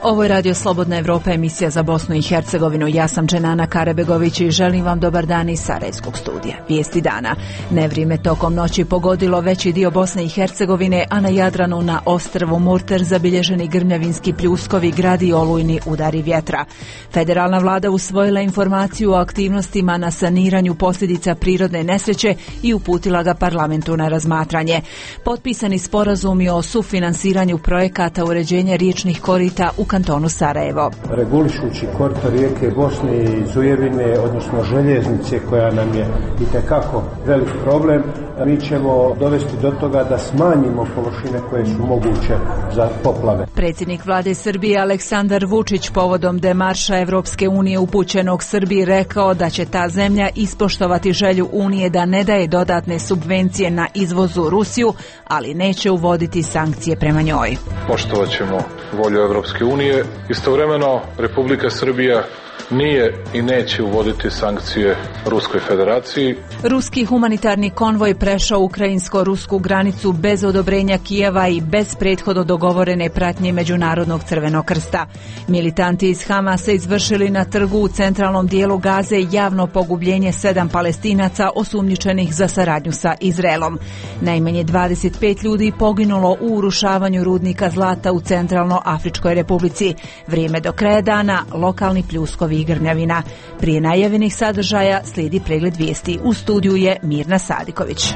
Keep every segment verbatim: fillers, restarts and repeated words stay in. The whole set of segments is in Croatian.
Ovo je Radio Slobodna Evropa, emisija za Bosnu i Hercegovinu. Ja sam Dženana Karebegović i želim vam dobar dan iz Sarajevskog studija. Vijesti dana. Nevrijeme tokom noći pogodilo veći dio Bosne i Hercegovine, a na Jadranu na ostrvu Murter zabilježeni grmljavinski pljuskovi, gradi olujni udari vjetra. Federalna vlada usvojila informaciju o aktivnostima na saniranju posljedica prirodne nesreće i uputila ga parlamentu na razmatranje. Potpisani sporazumi o sufinansiranju projekata uređenja riječnih korita u kantonu Sarajevo. Regulišući korito rijeke Bosne i Zujevine, odnosno željeznice koja nam je itekako velik problem, mi ćemo dovesti do toga da smanjimo površine koje su moguće za poplave. Predsjednik vlade Srbije Aleksandar Vučić povodom demarša Evropske unije upućenog Srbiji rekao da će ta zemlja ispoštovati želju Unije da ne daje dodatne subvencije na izvozu Rusiju, ali neće uvoditi sankcije prema njoj. Poštovat ćemo volju Evropske unije. Istovremeno Republika Srbija nije i neće uvoditi sankcije Ruskoj federaciji. Ruski humanitarni konvoj prešao ukrajinsko-rusku granicu bez odobrenja Kijeva i bez prethodno dogovorene pratnje Međunarodnog crvenog krsta. Militanti iz Hamasa izvršili na trgu u centralnom dijelu Gaze javno pogubljenje sedam Palestinaca osumnjičenih za saradnju sa Izraelom. Najmanje dvadeset pet ljudi poginulo u urušavanju rudnika zlata u Centralno-Afričkoj Republici. Vrijeme do kraja dana, lokalni pljuskovi i grmljavina. Prije najavljenih sadržaja slijedi pregled vijesti. U studiju je Mirna Sadiković.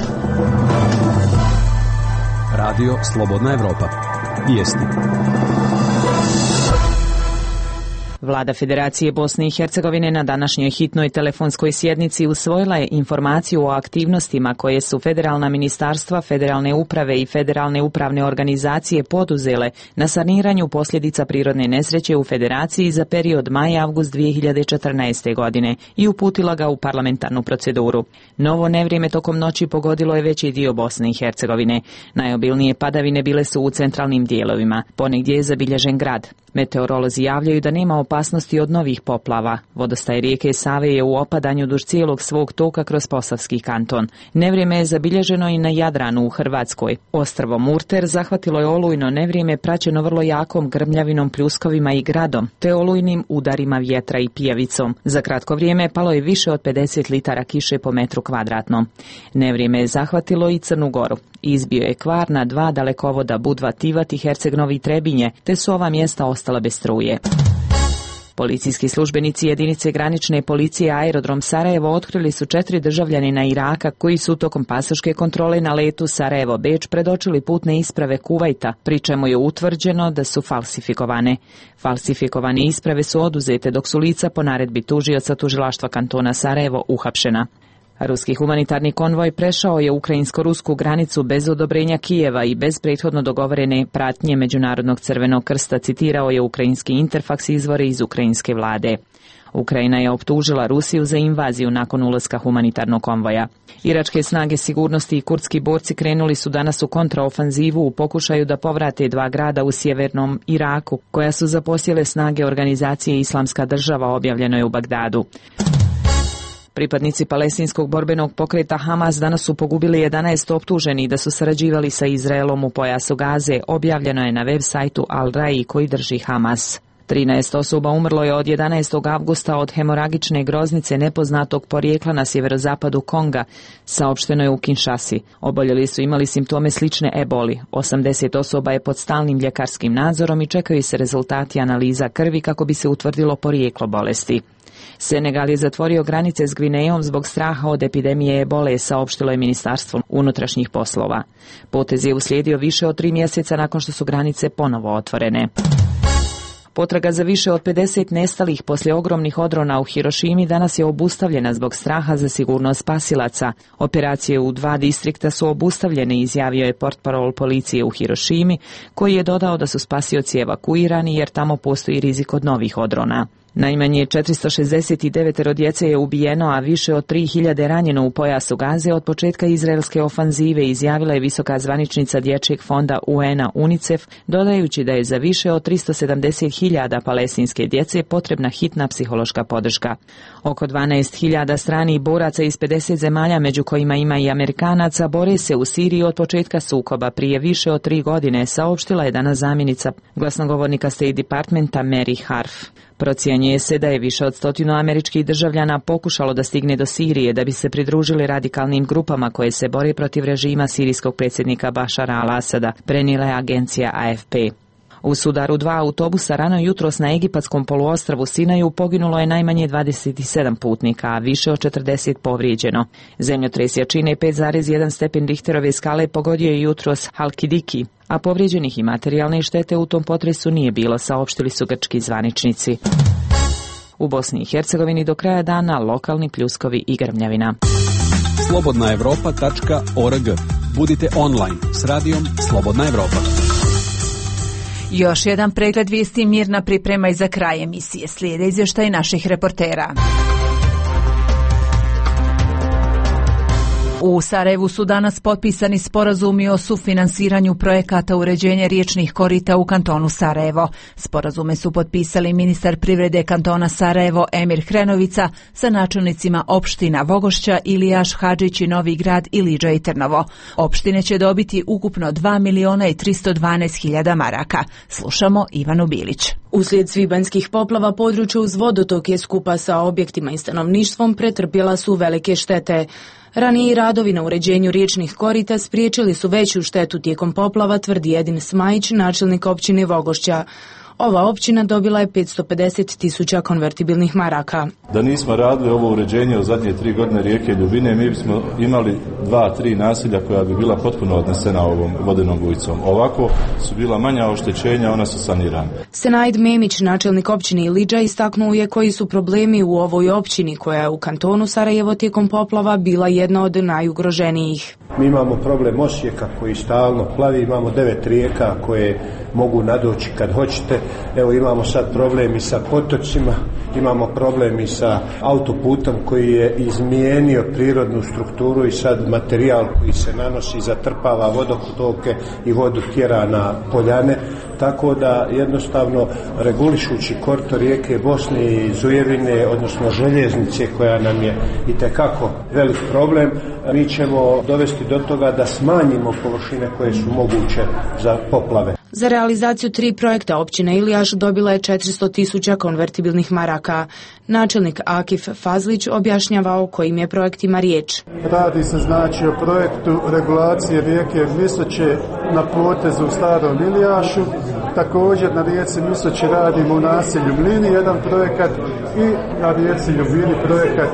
Radio Slobodna Evropa. Vijesti. Vlada Federacije Bosne i Hercegovine na današnjoj hitnoj telefonskoj sjednici usvojila je informaciju o aktivnostima koje su federalna ministarstva, federalne uprave i federalne upravne organizacije poduzele na saniranju posljedica prirodne nesreće u Federaciji za period maj-avgust dvije hiljade četrnaeste. godine i uputila ga u parlamentarnu proceduru. Novo nevrijeme tokom noći pogodilo je veći dio Bosne i Hercegovine. Najobilnije padavine bile su u centralnim dijelovima. Ponegdje je zabilježen grad. Meteorolozi javljaju da nema opasnosti od novih poplava. Vodostaj rijeke Save je u opadanju duž cijelog svog toka kroz Posavski kanton. Nevrijeme je zabilježeno i na Jadranu u Hrvatskoj. Ostrvo Murter zahvatilo je olujno nevrijeme praćeno vrlo jakom grmljavinom, pljuskovima i gradom, te olujnim udarima vjetra i pijavicom. Za kratko vrijeme palo je više od pedeset litara kiše po metru kvadratnom. Nevrijeme je zahvatilo i Crnu Goru. Izbio je kvar na dva dalekovoda Budva, Tivat i Herceg-Novi i Trebinje, te su ova mjesta ostala bez struje. Policijski službenici jedinice granične policije Aerodrom Sarajevo otkrili su četiri državljanina Iraka koji su tokom pasoške kontrole na letu Sarajevo-Beč predočili putne isprave Kuvajta, pri čemu je utvrđeno da su falsifikovane. Falsifikovane isprave su oduzete dok su lica po naredbi tužioca tužilaštva kantona Sarajevo uhapšena. Ruski humanitarni konvoj prešao je ukrajinsko-rusku granicu bez odobrenja Kijeva i bez prethodno dogovorene pratnje Međunarodnog crvenog krsta, citirao je ukrajinski Interfax izvore iz ukrajinske vlade. Ukrajina je optužila Rusiju za invaziju nakon ulaska humanitarnog konvoja. Iračke snage sigurnosti i kurdski borci krenuli su danas u kontraofanzivu u pokušaju da povrate dva grada u sjevernom Iraku, koja su zaposjele snage organizacije Islamska država, objavljeno je u Bagdadu. Pripadnici palestinskog borbenog pokreta Hamas danas su pogubili jedanaest optuženih da su sarađivali sa Izraelom u pojasu Gaze, objavljeno je na web sajtu Al-Rai koji drži Hamas. trinaest osoba umrlo je od jedanaestog avgusta od hemoragične groznice nepoznatog porijekla na sjeverozapadu Konga, saopšteno je u Kinshasi. Oboljeli su imali simptome slične eboli. osamdeset osoba je pod stalnim ljekarskim nadzorom i čekaju se rezultati analiza krvi kako bi se utvrdilo porijeklo bolesti. Senegal je zatvorio granice s Gvinejom zbog straha od epidemije ebole, saopštilo je Ministarstvo unutrašnjih poslova. Potez je uslijedio više od tri mjeseca nakon što su granice ponovo otvorene. Potraga za više od pedeset nestalih poslije ogromnih odrona u Hirošimi danas je obustavljena zbog straha za sigurnost spasilaca. Operacije u dva distrikta su obustavljene, izjavio je portparol policije u Hirošimi, koji je dodao da su spasioci evakuirani jer tamo postoji rizik od novih odrona. Najmanje četiristo šezdeset devet djece je ubijeno, a više od tri hiljade ranjeno u pojasu Gaze od početka izraelske ofanzive, izjavila je visoka zvaničnica Dječjeg fonda U N A UNICEF, dodajući da je za više od tristo sedamdeset hiljada palestinske djece potrebna hitna psihološka podrška. Oko dvanaest hiljada stranih boraca iz pedeset zemalja, među kojima ima i Amerikanaca, bore se u Siriji od početka sukoba prije više od tri godine, saopštila je danas zamjenica glasnogovornika State Departmenta Mary Harf. Procjenjuje se da je više od stotinu američkih državljana pokušalo da stigne do Sirije da bi se pridružili radikalnim grupama koje se bore protiv režima sirijskog predsjednika Bašara al-Asada, prenijela je agencija A F P. U sudaru dva autobusa rano jutros na egipatskom poluostrvu Sinaju poginulo je najmanje dvadeset sedam putnika, a više od četrdeset povrijeđeno. Zemljotres jačine pet zarez jedan stepen Richterove skale pogodio je jutros Halkidiki, a povrijeđenih i materijalne štete u tom potresu nije bilo, saopštili su grčki zvaničnici. U Bosni i Hercegovini do kraja dana lokalni pljuskovi i grmljavina. slobodna evropa tačka org. Budite online s radijom Slobodna Evropa. Još jedan pregled vijesti Mirna priprema i za kraj emisije. Slijede izvještaj naših reportera. U Sarajevu su danas potpisani sporazumi o sufinansiranju projekata uređenja riječnih korita u kantonu Sarajevo. Sporazume su potpisali ministar privrede kantona Sarajevo Emir Hrenovica sa načelnicima opština Vogošća, Ilijaš, Hadžić i Novi Grad, Ilidža i Trnovo. Opštine će dobiti ukupno dva miliona i tristo dvanaest hiljada maraka. Slušamo Ivanu Bilić. Uslijed svibanjskih poplava područje uz vodotok je skupa sa objektima i stanovništvom pretrpjela su velike štete. Raniji radovi na uređenju riječnih korita spriječili su veću štetu tijekom poplava, tvrdi Edin Smajić, načelnik općine Vogošća. Ova općina dobila je petsto pedeset tisuća konvertibilnih maraka. Da nismo radili ovo uređenje u zadnje tri godine rijeke Ljubine, mi bismo imali dva, tri naselja koja bi bila potpuno odnesena ovom vodenom bujicom. Ovako su bila manja oštećenja, ona su sanirana. Senaid Memić, načelnik općine Ilidža, istaknuo je koji su problemi u ovoj općini koja je u kantonu Sarajevo tijekom poplava bila jedna od najugroženijih. Mi imamo problem Osijeka koji stalno plavi, imamo devet rijeka koje mogu nadoći kad hoćete. Evo imamo sad problem i sa potocima, imamo problem i sa autoputom koji je izmijenio prirodnu strukturu i sad materijal koji se nanosi zatrpava vodotoke i vodu tjera na poljane. Tako da jednostavno regulišući korito rijeke Bosne i Zujevine, odnosno željeznice koja nam je itekako velik problem, mi ćemo dovesti do toga da smanjimo površine koje su moguće za poplave. Za realizaciju tri projekta općina Ilijaš dobila je četiristo tisuća konvertibilnih maraka. Načelnik Akif Fazlić objašnjava o kojim je projektima riječ. Radi se znači o projektu regulacije rijeke Misoće na potezu u Starom Ilijašu. Također na rijeci Misoće radimo u naselju Mlini jedan projekat i na rijeci Ljubini projekat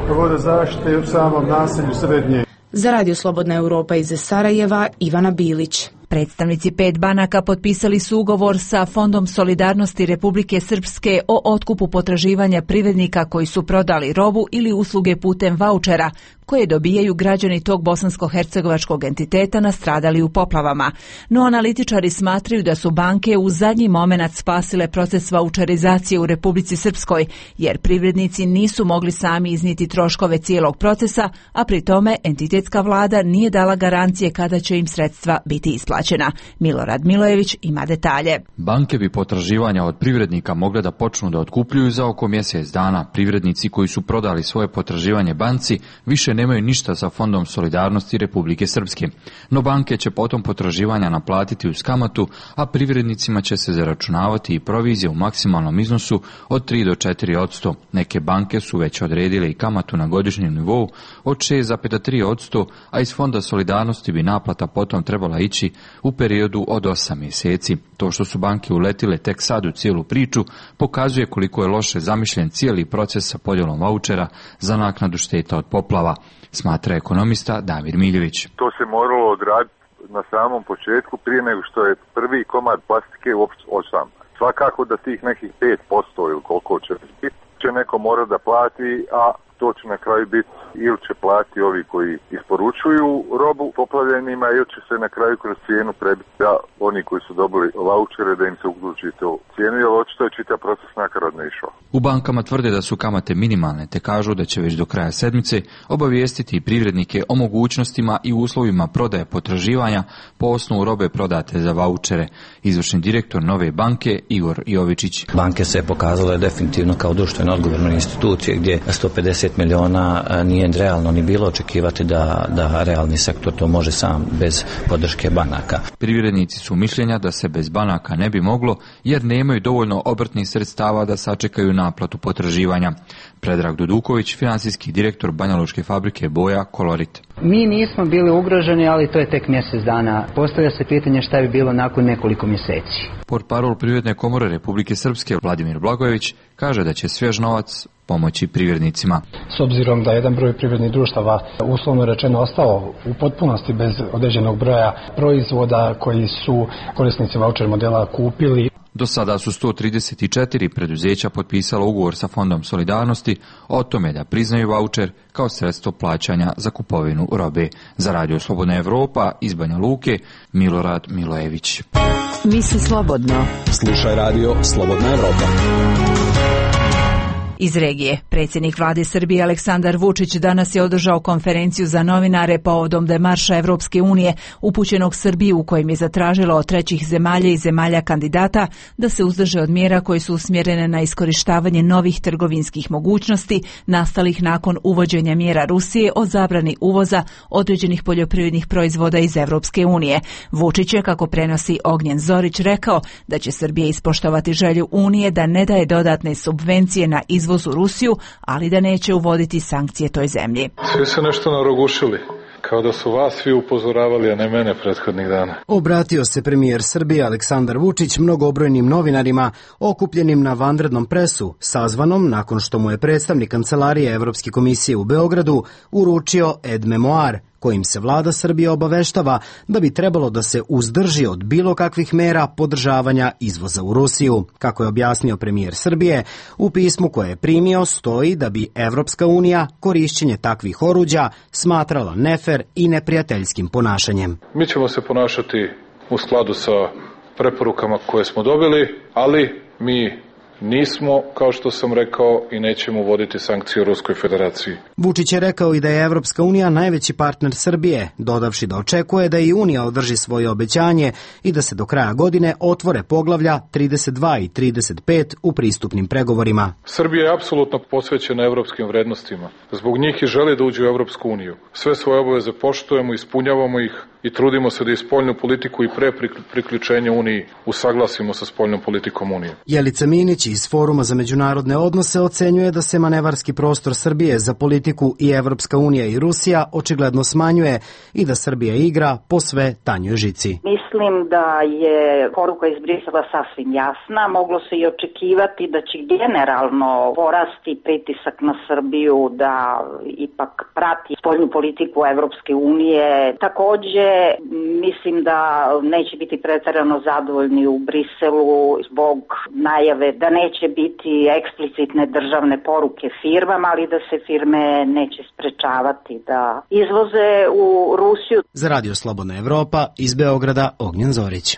vodozaštite u samom naselju Srednje. Za Radio Slobodna Europa iz Sarajeva, Ivana Bilić. Predstavnici pet banaka potpisali su ugovor sa Fondom solidarnosti Republike Srpske o otkupu potraživanja privrednika koji su prodali robu ili usluge putem vaučera koje dobijaju građani tog bosansko-hercegovačkog entiteta nastradali u poplavama. No analitičari smatraju da su banke u zadnji momenat spasile proces vaučerizacije u Republici Srpskoj, jer privrednici nisu mogli sami iznijeti troškove cijelog procesa, a pri tome entitetska vlada nije dala garancije kada će im sredstva biti isplaćena. Milorad Milojević ima detalje. Banke bi potraživanja od privrednika mogle da počnu da otkupljuju za oko mjesec dana. Privrednici koji su prodali svoje potraživanje banci više nemaju ništa sa Fondom solidarnosti Republike Srpske. No banke će potom potraživanja naplatiti uz kamatu, a privrednicima će se zaračunavati i provizije u maksimalnom iznosu od tri do četiri posto. Neke banke su već odredile i kamatu na godišnjem nivou od šest zarez tri posto, a iz Fonda solidarnosti bi naplata potom trebala ići u periodu od osam mjeseci. To što su banke uletile tek sad u cijelu priču pokazuje koliko je loše zamišljen cijeli proces sa podjelom vaučera za naknadu šteta od poplava, smatra ekonomista Damir Miljević. To se moralo odraditi na samom početku prije nego što je prvi komad plastike uopšte ošam. Svakako da tih nekih pet posto ili koliko će biti će neko mora da plati, a to će na kraju biti ili će platiti ovi koji isporučuju robu poplavljenima ili će se na kraju kroz cijenu prebiti da oni koji su dobili vaučere da im se uključi to cijenu, jer očito je čitav proces nakaradno išao. U bankama tvrde da su kamate minimalne, te kažu da će već do kraja sedmice obavijestiti privrednike o mogućnostima i uslovima prodaje potraživanja po osnovu robe prodate za vaučere. Izvršni direktor Nove banke Igor Jovičić. Banke se pokazale definitivno kao društveno odgovorne institucije gdje sto pedeset miliona nije realno ni bilo očekivati da, da realni sektor to može sam bez podrške banaka. Privrednici su mišljenja da se bez banaka ne bi moglo jer nemaju dovoljno obrtnih sredstava da sačekaju naplatu potraživanja. Predrag Duduković, financijski direktor banjalučke fabrike boja Kolorit. Mi nismo bili ugroženi, ali to je tek mjesec dana. Postavlja se pitanje šta bi bilo nakon nekoliko mjeseci. Portparol Privredne komore Republike Srpske Vladimir Blagojević kaže da će svjež novac pomoći privrednicima. S obzirom da jedan broj privrednih društava uslovno rečeno ostao u potpunosti bez određenog broja proizvoda koji su korisnici vaučer modela kupili. Do sada su sto trideset četiri preduzeća potpisala ugovor sa Fondom solidarnosti o tome da priznaju vaučer kao sredstvo plaćanja za kupovinu robe. Za Radio Slobodna Evropa iz Banja Luke, Milorad Milojević. Misli slobodno. Slušaj Radio Slobodna Evropa. Iz regije, predsjednik vlade Srbije Aleksandar Vučić danas je održao konferenciju za novinare povodom demarša Evropske unije upućenog Srbiji u kojem je zatražila od trećih zemalja i zemalja kandidata da se uzdrže od mjera koje su usmjerene na iskorištavanje novih trgovinskih mogućnosti nastalih nakon uvođenja mjera Rusije o zabrani uvoza određenih poljoprivrednih proizvoda iz Evropske unije. Vučić je, kako prenosi Ognjen Zorić, rekao da će Srbija ispoštovati želju Unije da ne daje dodatne subvencije na izvoz u Rusiju, ali da neće uvoditi sankcije toj zemlji. Svi se nešto narogušili, kao da su vas svi upozoravali, a ne mene prethodnih dana. Obratio se premijer Srbije Aleksandar Vučić mnogobrojnim novinarima okupljenim na vanrednom presu, sazvanom nakon što mu je predstavnik Kancelarije Evropske komisije u Beogradu uručio ed memoar, kojim se vlada Srbije obaveštava da bi trebalo da se uzdrži od bilo kakvih mera podržavanja izvoza u Rusiju. Kako je objasnio premijer Srbije, u pismu koje je primio stoji da bi Evropska unija korišćenje takvih oruđa smatrala nefer i neprijateljskim ponašanjem. Mi ćemo se ponašati u skladu sa preporukama koje smo dobili, ali mi nismo, kao što sam rekao, i nećemo uvoditi sankcije u Ruskoj federaciji. Vučić je rekao i da je Evropska unija najveći partner Srbije, dodavši da očekuje da i Unija održi svoje obećanje i da se do kraja godine otvore poglavlja trideset dva i trideset pet u pristupnim pregovorima. Srbija je apsolutno posvećena evropskim vrednostima. Zbog njih i želi da uđe u Evropsku uniju. Sve svoje obaveze poštujemo, ispunjavamo ih i trudimo se da i spoljnu politiku i pre priključenja Uniji usaglasimo sa spoljnom politikom Unije. Jelica Minić iz Foruma za međunarodne odnose ocenjuje da se manevarski prostor Srbije za politiku i Evropska unija i Rusija očigledno smanjuje i da Srbija igra po sve tanjoj žici. Mislim da je poruka iz Brisela sasvim jasna. Moglo se i očekivati da će generalno porasti pritisak na Srbiju da ipak prati spoljnu politiku Evropske unije. Takođe, mislim da neće biti preterano zadovoljni u Briselu zbog najave da neće biti eksplicitne državne poruke firmama, ali da se firme neće sprečavati da izvoze u Rusiju. Za Radio Slobodna Evropa iz Beograda Ognjen Zorić.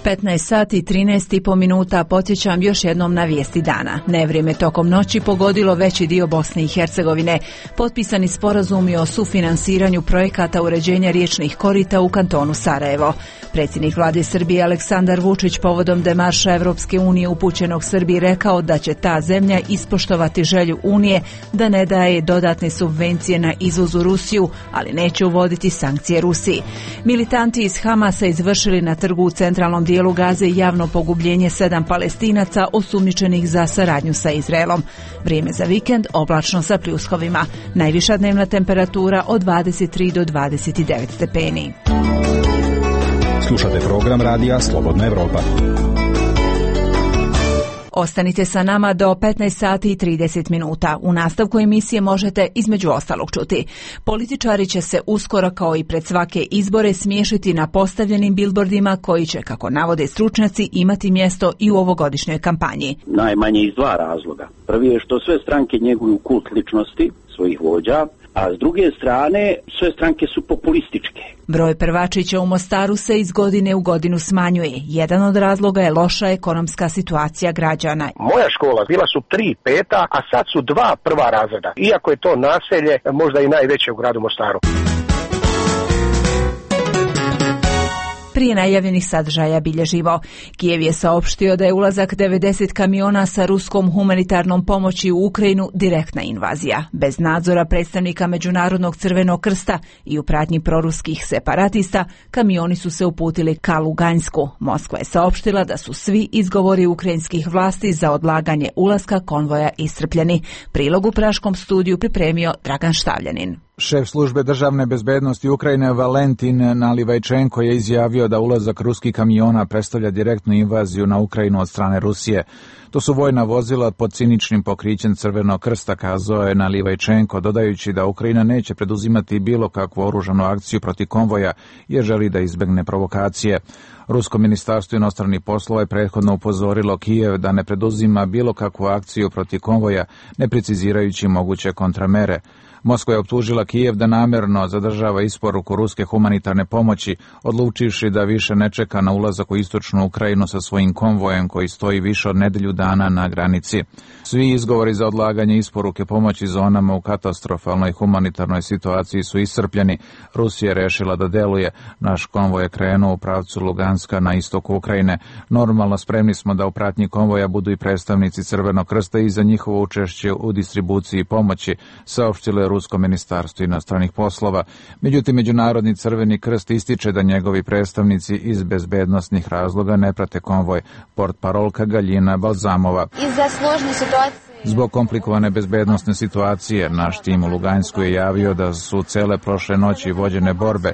petnaest sati i trinaest i po minuta, podsjećam još jednom na vijesti dana. Nevrijeme tokom noći pogodilo veći dio Bosne i Hercegovine. Potpisani sporazumi o sufinansiranju projekata uređenja riječnih korita u kantonu Sarajevo. Predsjednik vlade Srbije Aleksandar Vučić povodom demarša Evropske unije upućenog Srbiji rekao da će ta zemlja ispoštovati želju Unije da ne daje dodatne subvencije na izvoz u Rusiju, ali neće uvoditi sankcije Rusiji. Militanti iz Hamasa izvršili na trgu u centralnom dijelu Gaze javno pogubljenje sedam Palestinaca osumnjičenih za saradnju sa Izraelom. Vrijeme za vikend oblačno sa pljuskovima. Najviša dnevna temperatura od dvadeset tri do dvadeset devet stepeni. Slušate program radija Slobodna Evropa. Ostanite sa nama do petnaest sati i trideset minuta. U nastavku emisije možete između ostalog čuti. Političari će se uskoro kao i pred svake izbore smiješiti na postavljenim bilbordima koji će, kako navode stručnjaci, imati mjesto i u ovogodišnjoj kampanji. Najmanje iz dva razloga. Prvi je što sve stranke njeguju kult ličnosti svojih vođa, a s druge strane sve stranke su populističke. Broj prvačića u Mostaru se iz godine u godinu smanjuje. Jedan od razloga je loša ekonomska situacija građana. Moja škola bila su tri peta, a sad su dva prva razreda. Iako je to naselje možda i najveće u gradu Mostaru. Prije najavljenih sadržaja bilježivo. Kijev je saopštio da je ulazak devedeset kamiona sa ruskom humanitarnom pomoći u Ukrajinu direktna invazija. Bez nadzora predstavnika Međunarodnog crvenog krsta i u pratnji proruskih separatista, kamioni su se uputili ka Lugansku. Moskva je saopštila da su svi izgovori ukrajinskih vlasti za odlaganje ulaska konvoja iscrpljeni. Prilog u Praškom studiju pripremio Dragan Štavljanin. Šef službe državne bezbednosti Ukrajine Valentin Nalivajčenko je izjavio da ulazak ruskih kamiona predstavlja direktnu invaziju na Ukrajinu od strane Rusije. To su vojna vozila pod ciničnim pokrićem Crvenog krsta, kazao je Nalivajčenko, dodajući da Ukrajina neće preduzimati bilo kakvu oružanu akciju protiv konvoja jer želi da izbegne provokacije. Rusko ministarstvo inostranih poslova je prethodno upozorilo Kijev da ne preduzima bilo kakvu akciju protiv konvoja, ne precizirajući moguće kontramere. Moskva je optužila Kijev da namjerno zadržava isporuku ruske humanitarne pomoći, odlučivši da više ne čeka na ulazak u istočnu Ukrajinu sa svojim konvojem koji stoji više od nedelju dana na granici. Svi izgovori za odlaganje isporuke pomoći zonama u katastrofalnoj humanitarnoj situaciji su iscrpljeni. Rusija je rešila da deluje. Naš konvoj je krenuo u pravcu Luganska na istoku Ukrajine. Normalno spremni smo da u pratnji konvoja budu i predstavnici Crvenog krsta i za njihovo učešće u distribuciji pomoći, saopštilo je Rusko ministarstvo inostranih poslova. Međutim, Međunarodni crveni krst ističe da njegovi predstavnici iz bezbednosnih razloga ne prate konvoj. Portparolka Galjina Balzamova. Zbog komplikovane bezbednosne situacije, naš tim u Lugansku je javio da su cele prošle noći vođene borbe.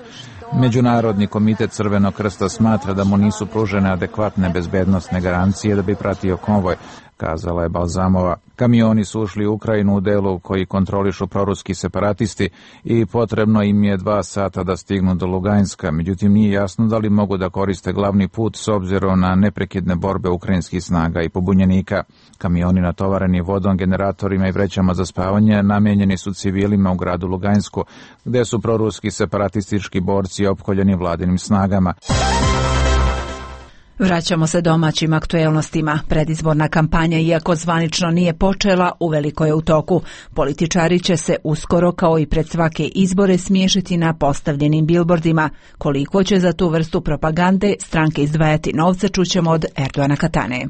Međunarodni komitet Crvenog krsta smatra da mu nisu pružene adekvatne bezbednosne garancije da bi pratio konvoj, kazala je Balzamova. Kamioni su ušli u Ukrajinu u delu koji kontrolišu proruski separatisti i potrebno im je dva sata da stignu do Luganska. Međutim, nije jasno da li mogu da koriste glavni put s obzirom na neprekidne borbe ukrajinskih snaga i pobunjenika. Kamioni natovareni vodom, generatorima i vrećama za spavanje namijenjeni su civilima u gradu Lugansku, gde su proruski separatistički borci opkoljeni vladinim snagama. Vraćamo se domaćim aktuelnostima. Predizborna kampanja, iako zvanično nije počela, uveliko je u toku. Političari će se uskoro, kao i pred svake izbore, smiješiti na postavljenim bilbordima. Koliko će za tu vrstu propagande stranke izdvajati novca, čućemo od Erdoana Katane.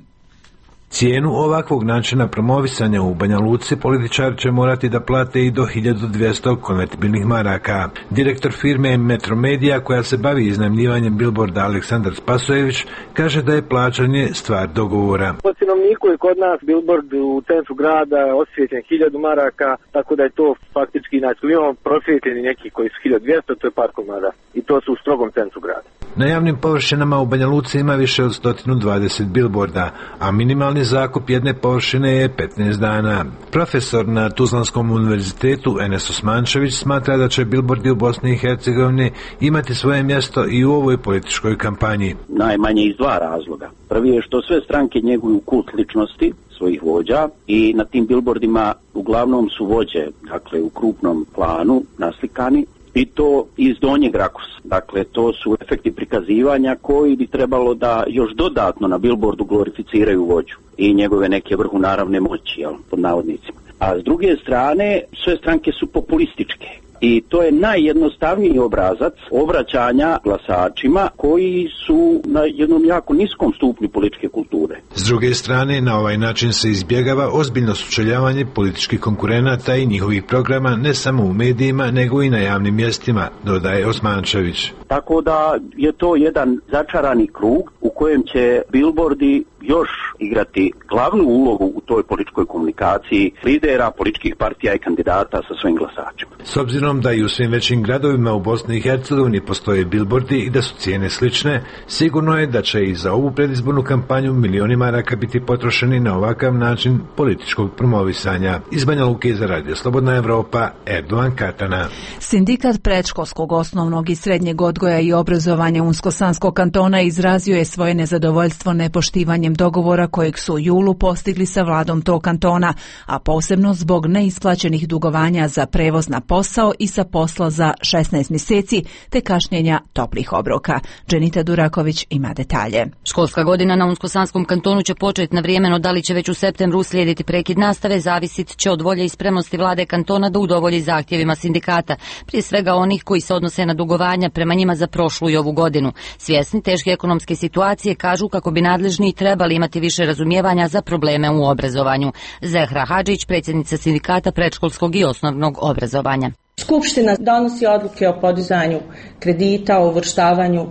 Cijenu ovakvog načina promovisanja u Banja Luci političari će morati da plate i do hiljadu dvjesto konvertibilnih maraka. Direktor firme Metromedia, koja se bavi iznajmljivanjem bilborda, Aleksandar Spasojević, kaže da je plaćanje stvar dogovora. Po cinovniku je kod nas bilbord u centru grada osvijetljen hiljadu maraka, tako da je to faktički, znači imamo prosvijetljeni neki koji su hiljadu dvjesto, to je par komada i to su u strogom centru grada. Na javnim površinama u Banja Luci ima više od sto dvadeset bilborda, a minimalni zakup jedne površine je petnaest dana. Profesor na Tuzlanskom univerzitetu Enes Osmančević smatra da će bilbordi u Bosni i Hercegovini imati svoje mjesto i u ovoj političkoj kampanji. Najmanje iz dva razloga. Prvi je što sve stranke njeguju kult ličnosti svojih vođa i na tim bilbordima uglavnom su vođe, dakle u krupnom planu naslikani, i to iz donjeg rakursa. Dakle, to su efekti prikazivanja koji bi trebalo da još dodatno na bilbordu glorificiraju vođu i njegove neke vrhunaravne moći, jel, pod navodnicima. A s druge strane, sve stranke su populističke. I to je najjednostavniji obrazac obraćanja glasačima koji su na jednom jako niskom stupnju političke kulture. S druge strane, na ovaj način se izbjegava ozbiljno sučeljavanje političkih konkurenata i njihovih programa ne samo u medijima, nego i na javnim mjestima, dodaje Osmančević. Tako da je to jedan začarani krug u kojem će bilbordi još igrati glavnu ulogu u toj političkoj komunikaciji lidera, političkih partija i kandidata sa svojim glasačima. S obzirom obzirom da i u svim većim gradovima u Bosni i Hercegovini postoje bilbordi i da su cijene slične, sigurno je da će i za ovu predizbornu kampanju milioni maraka biti potrošeni na ovakav način političkog promovisanja. Iz Banja Luke za Radio Slobodna Evropa, Erdovan Katana. Sindikat predškolskog, osnovnog i srednjeg odgoja i obrazovanja Unsko-Sanskog kantona izrazio je svoje nezadovoljstvo nepoštivanjem dogovora kojeg su u julu postigli sa vladom tog kantona, a posebno zbog neisplaćenih dugovanja za prevoz na posao i sa posla za šesnaest mjeseci, te kašnjenja toplih obroka. Dženita Duraković ima detalje. Školska godina na Unsko-Sanskom kantonu će početi na vrijeme, no da li će već u septembru uslijediti prekid nastave zavisit će od volje i spremnosti vlade kantona da udovolji zahtjevima sindikata, prije svega onih koji se odnose na dugovanja prema njima za prošlu i ovu godinu. Svjesni teške ekonomske situacije, kažu kako bi nadležni trebali imati više razumijevanja za probleme u obrazovanju. Zehra Hadžić, predsjednica sindikata predškolskog i osnovnog obrazovanja. Skupština donosi odluke o podizanju kredita, o uvrštavanju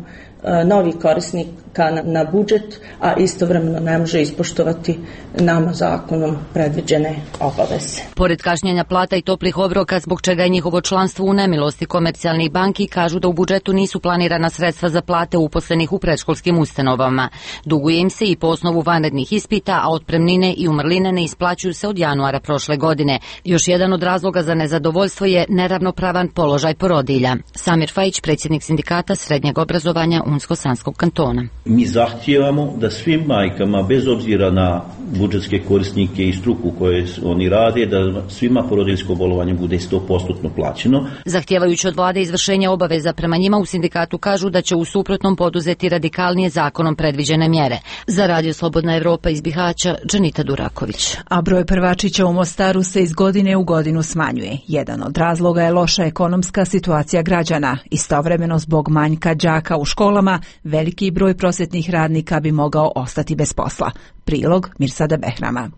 novih korisnika na, na budžet, a istovremeno ne može ispoštovati nama zakonom predviđene obaveze. Pored kašnjenja plata i toplih obroka, zbog čega je njihovo članstvo u nemilosti komercijalnih banki, kažu da u budžetu nisu planirana sredstva za plate uposlenih u predškolskim ustanovama. Duguje im se i po osnovu vanrednih ispita, a otpremnine i umrline ne isplaćuju se od januara prošle godine. Još jedan od razloga za nezadovoljstvo je neravnopravan položaj porodilja. Samir Fajić, predsjednik sindikata srednjeg obrazovanja Unsko-Sanskog kantona. Mi zahtijevamo da svim majkama, bez obzira na budžetske korisnike i struku koje oni rade, da svima porodiljsko bolovanje bude sto posto plaćeno. Zahtijevajući od vlade izvršenje obaveza prema njima, u sindikatu kažu da će u suprotnom poduzeti radikalnije zakonom predviđene mjere. Za Radio Slobodna Evropa iz Bihaća, Dženita Duraković. A broj prvačića u Mostaru se iz godine u godinu smanjuje. Jedan od razloga je loša ekonomska situacija građana. Istovremeno, zbog manjka đaka u školama, veliki broj prosvjetnih radnika bi mogao ostati bez posla. Prilog Mirsada Behrama.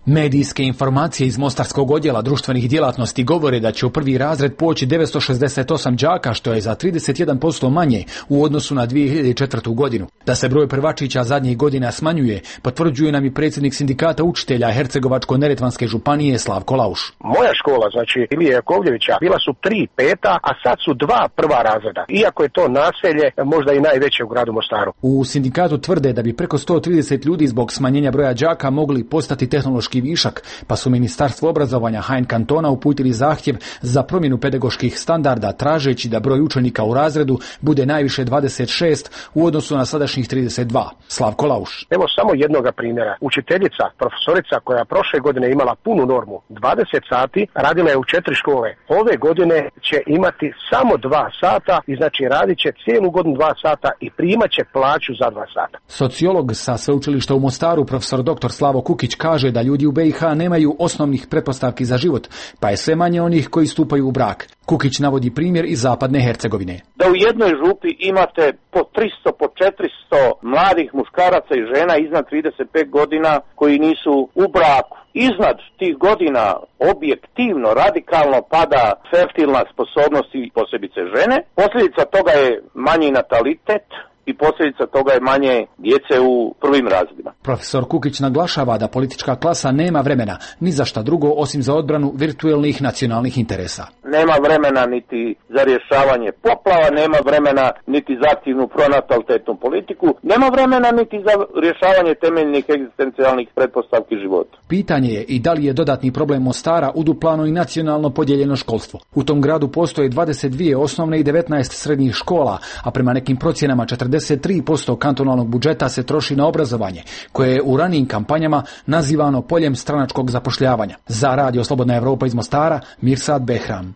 Medijske informacije iz Mostarskog odjela društvenih djelatnosti govore da će u prvi razred poći devetsto šezdeset osam đaka, što je za trideset jedan posto manje u odnosu na dvije hiljade četvrtu. godinu. Da se broj prvačića zadnjih godina smanjuje, potvrđuje nam i predsjednik sindikata učitelja Hercegovačko-neretvanske županije Slavko Lauš. Moja škola, znači Ilije Jakovljevića, bila su tri peta, a sad su dva prva razreda. Iako je to naselje možda i najveće u gradu Mostaru. U sindikatu tvrde da bi preko sto trideset ljudi zbog smanjenja broja đaka mogli postati tehnološki višak, pa su Ministarstvo obrazovanja H N kantona uputili zahtjev za promjenu pedagoških standarda, tražeći da broj učenika u razredu bude najviše dvadeset šest u odnosu na sadašnjih trideset dva. Slavko Lauš. Evo samo jednoga primjera. Učiteljica, profesorica koja prošle godine imala punu normu, dvadeset sati, radila je u četiri škole. Ove godine će imati samo dva sata i znači radit će cijelu godinu dva sata i primat će plaću za dva sata. Sociolog sa sveučilišta u Mostaru, profesor doktor Slavo Kukić, kaže da ljudi u B i H nemaju osnovnih pretpostavki za život, pa je sve manje onih koji stupaju u brak. Kukić navodi primjer iz zapadne Hercegovine. Da u jednoj župi imate po tristo, po četiristo mladih muškaraca i žena iznad trideset pet godina koji nisu u braku. Iznad tih godina objektivno, radikalno pada fertilna sposobnost i posebice žene. Posljedica toga je manji natalitet i posljedica toga je manje djece u prvim razredima. Profesor Kukić naglašava da politička klasa nema vremena ni za šta drugo osim za odbranu virtuelnih nacionalnih interesa. Nema vremena niti za rješavanje poplava, nema vremena niti za aktivnu pronatalitetnu politiku, nema vremena niti za rješavanje temeljnih egzistencijalnih pretpostavki života. Pitanje je i da li je dodatni problem Mostara uduplano i nacionalno podijeljeno školstvo. U tom gradu postoje dvadeset dvije osnovne i devetnaest srednjih škola, a prema nekim procjenama četrdeset tri posto kantonalnog budžeta se troši na obrazovanje, koje je u ranijim kampanjama nazivano poljem stranačkog zapošljavanja. Za Radio Slobodna Evropa iz Mostara, Mirsad Behram.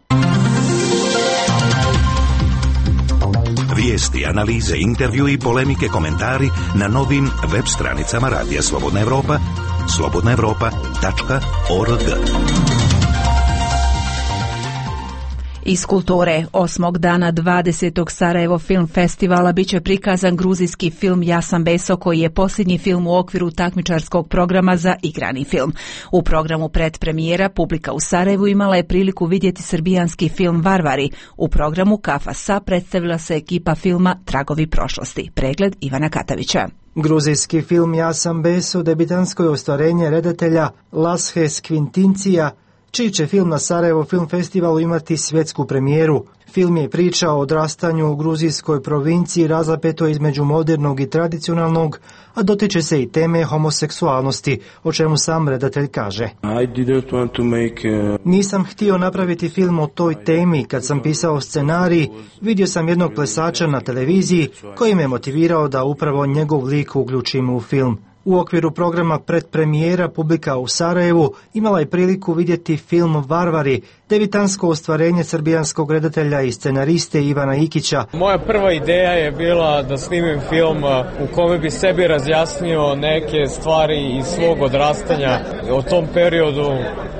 Vijesti, analize, intervju i polemike, komentari na novim web stranicama Radija Slobodna Evropa, slobodna evropa tačka org. Iz kulture, osmog dana dvadesetog Sarajevo Film Festivala biće prikazan gruzijski film Ja sam Beso, koji je posljednji film u okviru takmičarskog programa za igrani film. U programu predpremijera publika u Sarajevu imala je priliku vidjeti srbijanski film Varvari. U programu Kafa Sa predstavila se ekipa filma Tragovi prošlosti. Pregled Ivana Katavića. Gruzijski film Ja sam Beso debitansko je ostvarenje redatelja Lashe Skvintincija, čiji će film na Sarajevo Film Festivalu imati svjetsku premijeru. Film je priča o odrastanju u gruzijskoj provinciji razapetoj između modernog i tradicionalnog, a dotiče se i teme homoseksualnosti, o čemu sam redatelj kaže. Nisam htio napraviti film o toj temi. Kad sam pisao scenarij, vidio sam jednog plesača na televiziji koji me motivirao da upravo njegov lik uključim u film. U okviru programa predpremijera publika u Sarajevu imala je priliku vidjeti film Varvari, debitansko ostvarenje srbijanskog redatelja i scenariste Ivana Ikića. Moja prva ideja je bila da snimim film u kome bi sebi razjasnio neke stvari iz svog odrastanja o tom periodu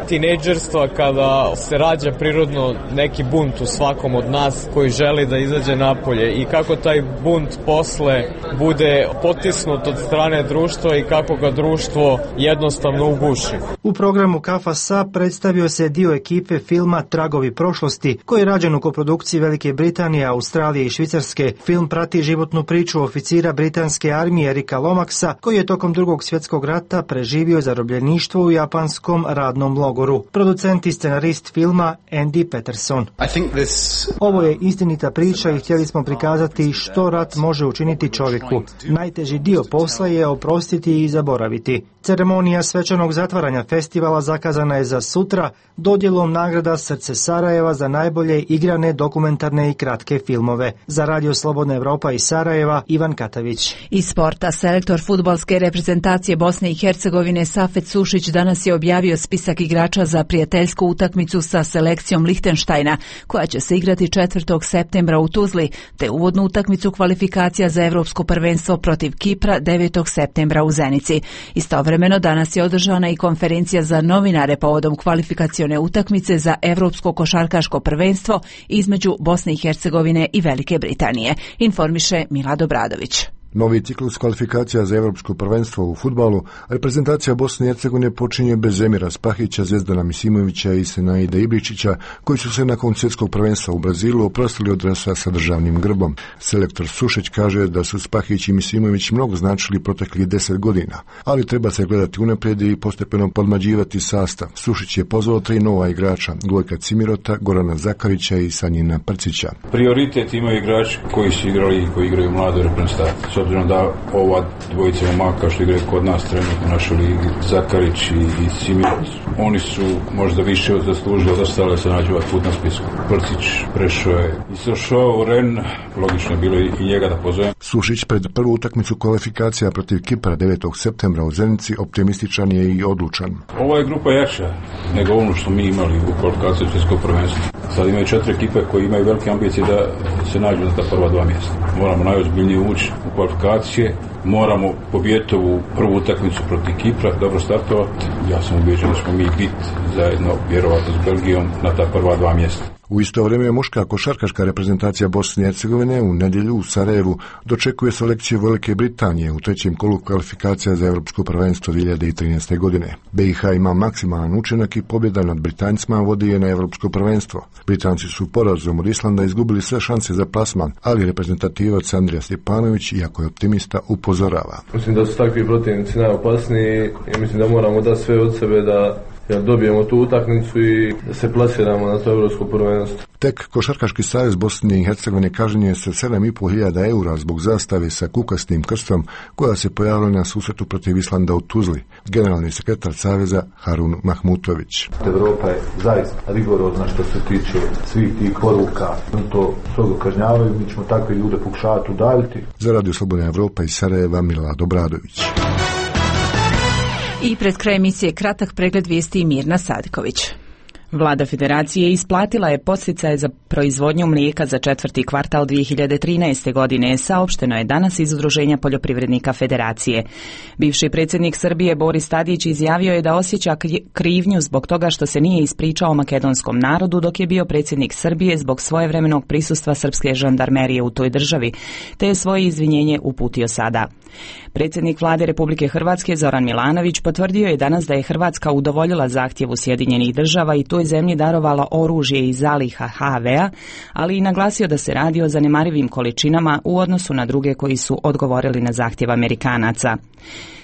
tinejdžerstva kada se rađa prirodno neki bunt u svakom od nas koji želi da izađe napolje i kako taj bunt posle bude potisnut od strane društva i kako ga društvo jednostavno uguši. U programu Kafa Sa predstavio se dio ekipe filma Tragovi prošlosti, koji je rađen u koprodukciji Velike Britanije, Australije i Švicarske. Film prati životnu priču oficira britanske armije Erika Lomaxa, koji je tokom drugog svjetskog rata preživio zarobljeništvo u japanskom radnom logoru. Producent i scenarist filma Andy Peterson. This... Ovo je istinita priča i htjeli smo prikazati što rat može učiniti čovjeku. Najteži dio posla je oprostiti i zaboraviti. Ceremonija svečanog zatvaranja festivala zakazana je za sutra dodjelom nagrada Srce Sarajeva za najbolje igrane, dokumentarne i kratke filmove. Za Radio Slobodna Evropa iz Sarajeva, Ivan Katavić. Iz sporta, selektor fudbalske reprezentacije Bosne i Hercegovine Safet Sušić danas je objavio spisak igrača za prijateljsku utakmicu sa selekcijom Lihtenštajna, koja će se igrati četvrtog septembra u Tuzli, te uvodnu utakmicu kvalifikacija za Evropsko prvenstvo protiv Kipra devetog septembra u Zenici. Istovremeno danas je održana i konferencija za novinare povodom kvalifikacione utakmice za Evropsko košarkaško prvenstvo između Bosne i Hercegovine i Velike Britanije, informiše Milad Obradović. Novi ciklus kvalifikacija za Evropsko prvenstvo u fudbalu, reprezentacija Bosne i Hercegovine počinje bez Emira Spahića, Zvezdana Misimovića i Senaida Ibričića, koji su se nakon svjetskog prvenstva u Brazilu oprostili od dresa sa državnim grbom. Selektor Sušić kaže da su Spahić i Misimović mnogo značili proteklih deset godina, ali treba se gledati unaprijed i postepeno podmađivati sastav. Sušić je pozvao tri nova igrača, Gojka Cimirota, Gorana Zakarića i Sanjina Prcića. Prioritet imaju igrači koji su igrali i koji igraju mladu reprezentaciju. Obzirom da ova dvojica momaka što igraju kod nas trenutno u našoj ligi, Zakarić i, i Simirović, oni su možda više od zaslužili od ostale se nađu ovaj put na spisku. Prcić prešao je i došao u Ren, logično je bilo i, i njega da pozovem. Sušić pred prvu utakmicu kvalifikacija protiv Kipra devetog septembra u Zenici optimističan je i odlučan. Ova je grupa jača nego ono što mi imali u kvalifikaciji svjetskog prvenstva. Sad imaju četiri ekipe koji imaju velike ambicije da se nađu na ta prva dva mjesta. Moramo najozbiljnije ući u kvalifikacije, moramo pobijediti ovu prvu utakmicu protiv Kipra, dobro startovati. Ja sam ubeđen da ćemo mi biti zajedno, vjerovatno s Belgijom, na ta prva dva mjesta. U isto vrijeme muška košarkaška reprezentacija Bosne i Hercegovine u nedjelju u Sarajevu dočekuje selekciju Velike Britanije u trećem kolu kvalifikacija za Europsko prvenstvo dvije hiljade trinaeste. godine. B i H ima maksimalan učinak i pobjeda nad Britancima vodi je na Europsko prvenstvo. Britanci su porazom od Islanda izgubili sve šanse za plasman, ali reprezentativac Andrija Stjepanović, iako je optimista, upozorava. Mislim da su takvi protivnici najopasniji i mislim da moramo dati sve od sebe da jer dobijemo tu utakmicu i da se plasiramo na to Evropsko prvenstvo. Tek Košarkaški savez Bosne i Hercegovine kažnjen je sa sedam i po hiljada eura zbog zastave sa kukastim krstom koja se pojavila na susretu protiv Islanda u Tuzli. Generalni sekretar saveza Harun Mahmutović. Evropa je zaista rigorozna što se tiče svih tih poruka. To strogo kažnjavaju, mi ćemo takve ljude pokušavati udaljiti. Za Radio Slobodna Evropa iz Sarajeva, Milad Obradović. I pred kraj emisije kratak pregled vijesti Mirna Sadiković. Vlada Federacije isplatila je podsticaje za proizvodnju mlijeka za četvrti kvartal dvije hiljade trinaeste. godine, saopšteno je danas iz Udruženja poljoprivrednika Federacije. Bivši predsjednik Srbije Boris Tadić izjavio je da osjeća krivnju zbog toga što se nije ispričao makedonskom narodu dok je bio predsjednik Srbije zbog svojevremenog prisustva srpske žandarmerije u toj državi, te je svoje izvinjenje uputio sada. Predsjednik Vlade Republike Hrvatske Zoran Milanović potvrdio je danas da je Hrvatska udovoljila zahtjevu Sjedinjenih država i toj zemlji darovala oružje iz zaliha ha ve a, ali i naglasio da se radi o zanemarivim količinama u odnosu na druge koji su odgovorili na zahtjev Amerikanaca.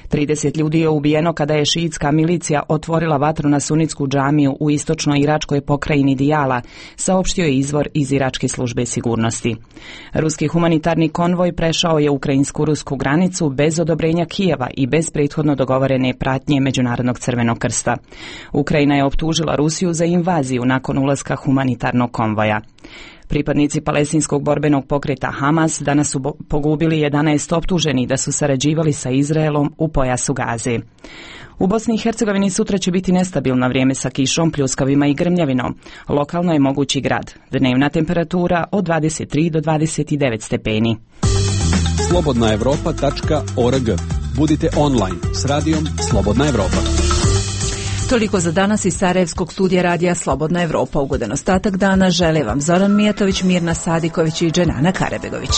trideset ljudi je ubijeno kada je šiitska milicija otvorila vatru na sunitsku džamiju u istočnoj iračkoj pokrajini Dijala, saopštio je izvor iz iračke službe sigurnosti. Ruski humanitarni konvoj prešao je ukrajinsko-rusku granicu bez odobrenja Kijeva i bez prethodno dogovorene pratnje Međunarodnog crvenog krsta. Ukrajina je optužila Rusiju za invaziju nakon ulaska humanitarnog konvoja. Pripadnici palestinskog borbenog pokreta Hamas danas su pogubili jedanaest optuženih da su sarađivali sa Izraelom u pojasu Gaze. U Bosni i Hercegovini sutra će biti nestabilno vrijeme sa kišom, pljuskavima i grmljavinom. Lokalno je mogući grad. Dnevna temperatura od dvadeset tri do dvadeset devet stepeni. slobodna evropa tačka org. Budite online s radijom Slobodna Evropa. Toliko za danas iz Sarajevskog studija radija Slobodna Evropa. Ugodan ostatak dana žele vam Zoran Mijatović, Mirna Sadiković i Dženana Karebegović.